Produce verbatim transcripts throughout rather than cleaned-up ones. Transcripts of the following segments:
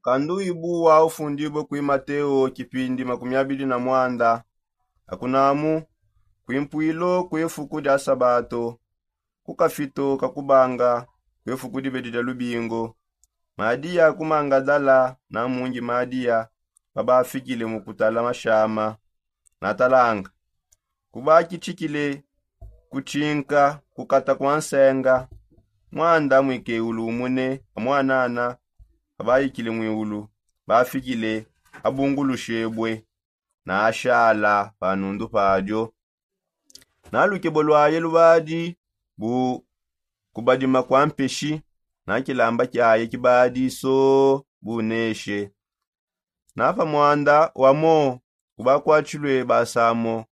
Kanduibu wa ufundibue kui mateo kipindi makumi abidi na mwanda. Akunamu, kuimpwilo kuefuku dia sabato, kukafito kakubanga kuefuku dibedi dia lubingo, madiya kumangadala na mungi madiya babafikile mu kutala mashama. Natalanga, kubakitshikile kutshinka kukata kua nsenga, mwanda muikeulu umune amwanana abaikile mwiulu bafikile, abungulushebue na ashala pa nundu padio. Na lukebo luaye lubadi bu kubadima kua mpeshi, na kilamba kiaye kibadi so buneshe. Na pa mwanda wamo kubakuatshilue basamo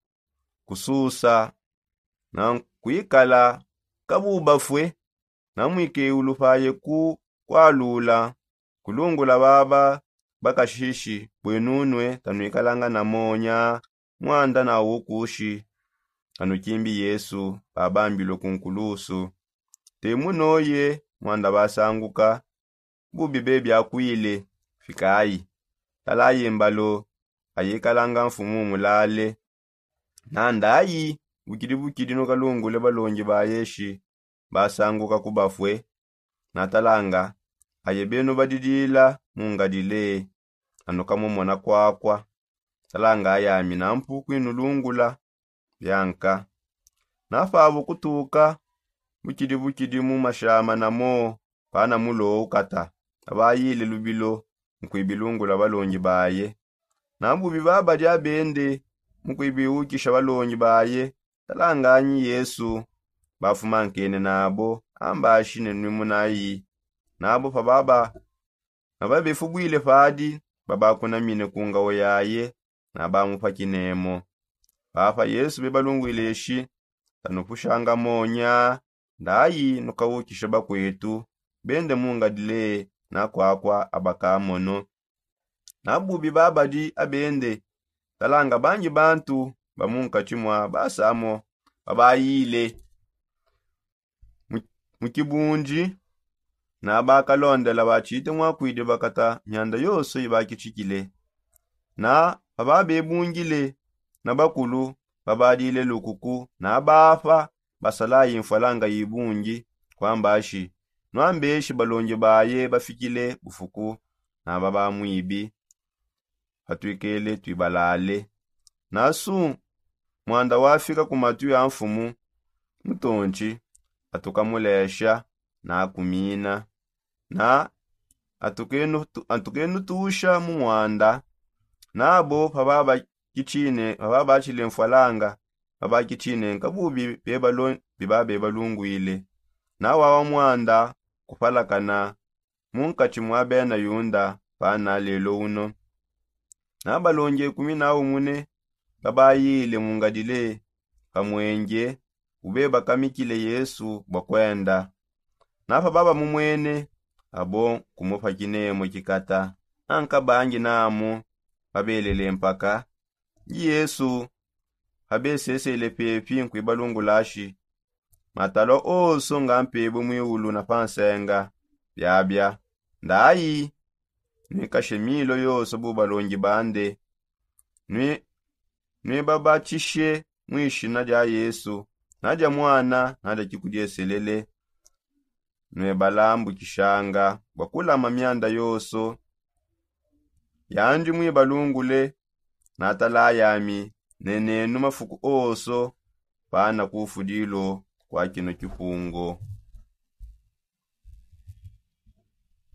kususa na kuikala kabu bafue. Na muikeulu paye ku kualula kulungula baba bakashishi, buenunue tanuikalanga na monya mwanda na ukushi. Anukimbi yesu babambilue ku nkulusu, temunoye mwanda basanguka, bubi bebiakuile. Fikayi, talayi mbalo ayikalanga mfumu mulale. Na ndayi bukidi bukidi nukalungule balongi baye shi basanguka ku bafue. Na talanga, aye benu badidila mu ngadile, anukamumona kuakua. Talanga ayami nampu kuinulungula bianka. Na pabu kutuka bukidi bukidi mu mashama namo, pana mulo ukata abayile lubilo mukuibilungula balongi baye. Na bubi babadi abende mukuibiukisha balongi baye, talanganyi yesu bafumankene nabo, ambashi ne nwimunayi nabo pababa. Na babefubwile padi babakunamine ku ngawo yaye, na bamupakinemo. Papa yesu bebalungwile shi, tanupushanga monya ndayi nukaukisha bakuetu bende mu ngadile na kuakua abakamono. Na bubi babadi abende, talanga bangi bantu ba mu nkatshi mua basamo babayile mu kibundi, na bakalondela batshite muakuidi bakata mianda yonso ibakitshikile. Na pababebungile na bakulu babadile lukuku na bapa basalayi mfualanga ibungi, kuambashi, nuambeshi balongi baye bafikile bufuku na babamwibi, patuikele tuibalale. Nasu mwanda wafika ku matu ya mfumu, mutontshi atukamulesha na kumina, na atukenutusha mu mwanda. Nabo pababakitshine pababatshile mfualanga, babakitshine nkabubi bebalungwile. Na wawa mwanda kupalakana mu nkatshi mua bena yunda pana lelo uno. Na balongi ekumi na umune babayile mu ngadile pa muenge ubebakamikile yesu bua kuenda. Na pababamumwene, abo kumupakinemo kikata. Anka bangi namu babelele mpaka ndi yesu pabesesele pepi nkuibalungulashi, matalua onso nga mpebue mwiulu na pa nsenga. Biabia ndayi nuikashe milo yonso bu balongi bande, nuibabatshishe mu ishina dia yesu, na dia mwana na dia kikudieselele. Nuibalambukishanga bua kulama mianda yonso yandi muibalungule. Natala yami nenenu mafuku onso pana kufudilu kua kino kipungu.